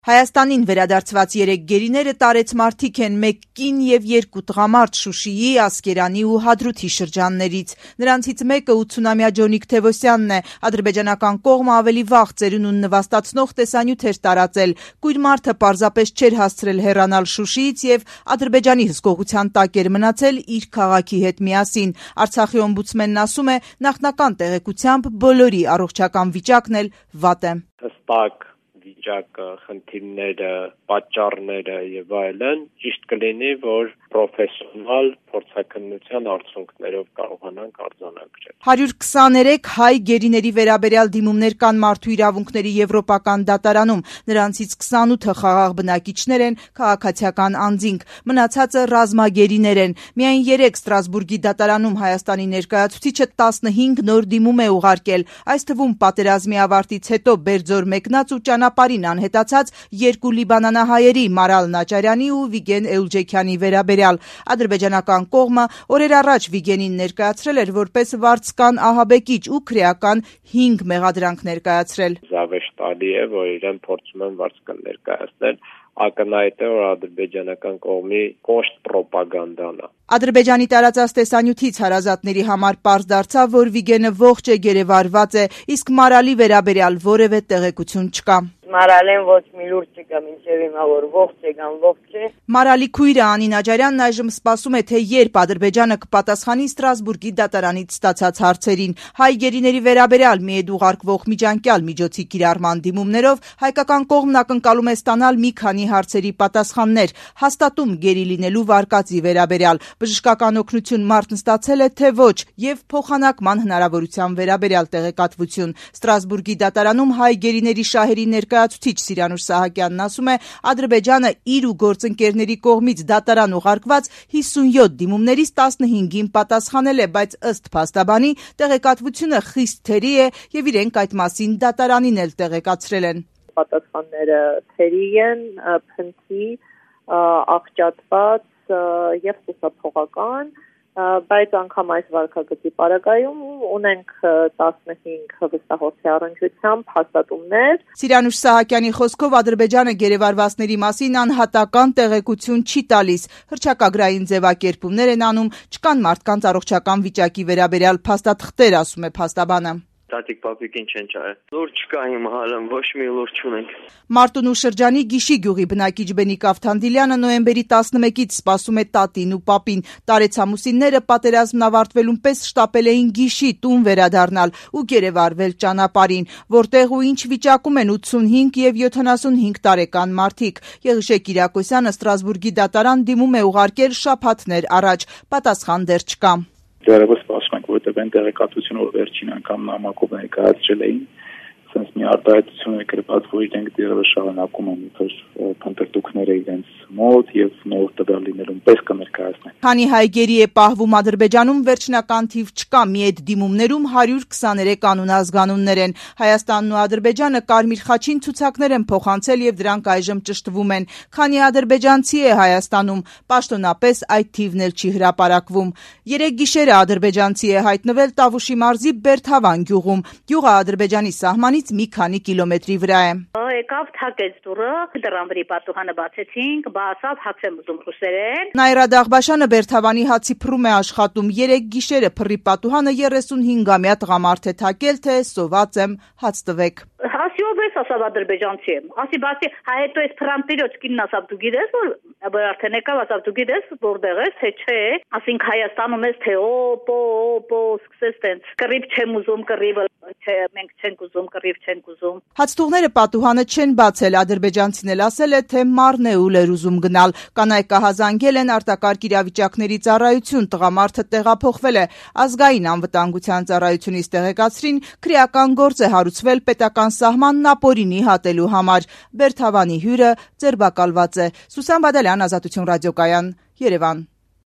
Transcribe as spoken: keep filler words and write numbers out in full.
Հայաստանին վերադարձված երեք գերիները տարեց մարդիկ են մեկ կին և երկու տղամարդ Շուշիի, Ասկերանի ու Հադրութի շրջաններից։ Նրանցից մեկը ութսունամյա Ջոնիկ Թևոսյանն է։ Ադրբեջանական կողմը ավելի վաղ ծերունուն նվաստացնող տեսանյութ էր տարածել։ Կույր մարդը պարզապես չէր հասցրել հեռանալ Շուշիից և Ադրբեջանի հսկողության տակ էր մնացել իր քաղաքի հետ միասին։ Արցախի օմբուդսմենն ասում է, նախնական տեղեկությամբ բոլորի առողջական վիճակն էլ վատ է։ Հստակ վիճակը, խնդիրները, պատճառները եւ այլն ճիշտ կլինի, որ պրոֆեսիոնալ փորձաքննության արդյունքներով կարողանանք արձանագրել։ հարյուր քսաներեք հայ գերիների վերաբերյալ դիմումներ կան Մարդու իրավունքների եվրոպական դատարանում։ Նրանցից քսանութը խաղաղ բնակիչներ են, քաղաքացիական անձինք, մնացածը ռազմագերիներ են։ Միայն երեք Ստրասբուրգի դատարանում Հայաստանի ներկայացուցիչը տասնհինգ նոր դիմում է ուղարկել, այս թվում պատերազմի ավարտից հետո Բերձոր մեկնած ու ճանապարհին անհետացած երկու լիբանանահայերի Մարալ Նաճարյանի ու Վիգեն Էուլջեքյանի վերաբերյալ։ Ադրբեջանական կողմը օրեր առաջ Վիգենին ներկայացրել էր որպես վարձկան ահաբեկիչ ու քրեական հինգ մեղադրանք ներկայացրել։ Զավեշտալի է, որ իրեն փորձում են վարձկան ներկայացնել, ակնհայտ է, որ ադրբեջանական կողմի կոշտ պրոպագանդան է։ Ադրբեջանի տարածած տեսանյութից հարազատների համար պարզ դարձավ, որ Վիգենը ողջ է, գերեվարված է, իսկ Մարալի վերաբերյալ որևէ տեղեկություն չկա։ Մարալեն ոչ մի լուրջ չկա, մինչև հիմա որ ողջ է կամ ողջ է։ Մարալի քույրը Անի Նաջարյանն այժմ սպասում է, թե երբ Ադրբեջանը կպատասխանի Ստրասբուրգի դատարանից ստացած հարցերին։ Հայ գերիների վերաբերյալ միեդ ուղարկվող միջանկյալ միջոցի կիրառման դիմումներով հայկական կողմն ակնկալում է ստանալ մի քանի հարցերի պատասխաններ, հաստատում գերի լինելու վարկածի վերաբերյալ, բժշկական օգնություն մարդն ստացել է թե ոչ եւ փոխանակման հնարավորության վերաբերյալ տեղեկատվություն։ Ստրասբուրգի դատարանում հայ գերիների շահերի ներկայացուցիչ Սիրանուշ Սահակյանն ասում է, Ադրբեջանը իր ու գործընկերների կողմից դատարան ուղարկված հիսունյոթ դիմումներից տասնհինգին պատասխանել է, բայց ըստ փաստաբանի տեղեկատվությունը խիստ թերի է եւ իրենք այդ մասին դատարանին էլ տեղեկացրել են։ Պատասխանները թերի են, փնթի, աղճատված եւ խուսափողական, բայց անգամ այս վարքագծի պարագայում ունենք տասնհինգ վստահորդի առնչությամբ հաստատումներ։ Սիրանուշ Սահակյանի խոսքով Ադրբեջանը գերեվարվածների մասին անհատական տեղեկություն չի տալիս, հռչակագրային ձևակերպումներ են անում, չկան մարդկանց առողջական վիճակի վերաբերյալ փաստաթղթեր, ասում է փաստաբանը։ Տատիկ պապիկին չեն ճարել։ Լուրջ չկա հիմա հալն, ոչ մի լուրջ չունենք։ Մարտունու շրջանի Գիշի գյուղի բնակիչ Բենիկ Ավթանդիլյանը նոյեմբերի տասնմեկից սպասում է տատին ու պապին։ Տարեցամուսինները պատերազմն ավարտվելուն պես շտապել էին Գիշի տուն վերադառնալ ու գերեվարվել ճանապարհին, որտեղ ու ինչ վիճակում են ութսունհինգ եւ յոթանասունհինգ տարեկան մարդիկ։ Եղիշե Կիրակոսյանը Ստրասբուրգի դատարան դիմում է ուղարկել շաբաթներ առաջ, պատասխան դեռ չկա։ Դեռևս սպասում ենք, որտեղ այն տեղեկատվությունը, որ վերջին անգամ նամակով ներկայացրել էին, sense մի արտահայտություն է գրված, որ իրենք դեռևս շարունակում են իբր փնտրտուքները իրենց մոտ եւ նոր տվյալ լինելուն պես կներկայացնեն։ Քանի հայ գերի է պահվում Ադրբեջանում, վերջնական թիվ չկա, մի այդ դիմումներում հարյուր քսաներեք անուն ազգանուններ են։ Հայաստանն ու Ադրբեջանը Կարմիր խաչին ցուցակներ են փոխանցել եւ դրանք այժմ ճշտվում են։ Քանի ադրբեջանցի է Հայաստանում, պաշտոնապես այդ թիվն էլ չի հրապարակվում։ Երեք գիշերը ադրբեջանցի է հայտնվել Տավուշի մարզի Բերթավան գյուղում։ Գյուղը Ադրբեջանի սահմանից մի քանի կիլոմետրի վրա է։ Եկավ թակեց դուրը, դրամբրի պատուհանը բացեցինք, բացավ հաց եմ ուզում ռուսերեն։ Նայրա Դաղբաշյանը Բերթավանի հացի փռում է աշխատում։ Երեք գիշերը փռի պատուհանը երեսունհինգամյա տղամարդ է թակել, թե սոված եմ, հաց տվեք։ Ասիով ես ասավ ադրբեջանցի եմ։ Ասի բացի հայետո էս փրանտիրոց կինն ասավ դու գիտես որ բա արդեն եկավ ասավ դու գիտես որտեղ ես թե չէ։ Ասինք Հայաստանում ես թե օպո օպո սկսես տենց կռիվ չեմ ուզում կռիվը չէ մենք չենք ուզում կռիվ չենք ուզում։ Հացթուղները պատուհանը չեն բացել, ադրբեջանցին էլ ասել է, թե մարն է ուլ էր ուզում գնալ։ Կանայք ահազանգել են արտակարգ իրավիճակների ծառայություն, տղամարդը տեղափոխվել է։ Ազգային անվտանգության ծառայությունից տեղեկացրին, քրեական գործ է հարուցվել պետական սահմանն ապօրինի հատելու համար։ Բերթավանի հյուրը ձերբակալված է։ Սուսան Բադալյան, Ազատություն ռադիոկայան, Երևան։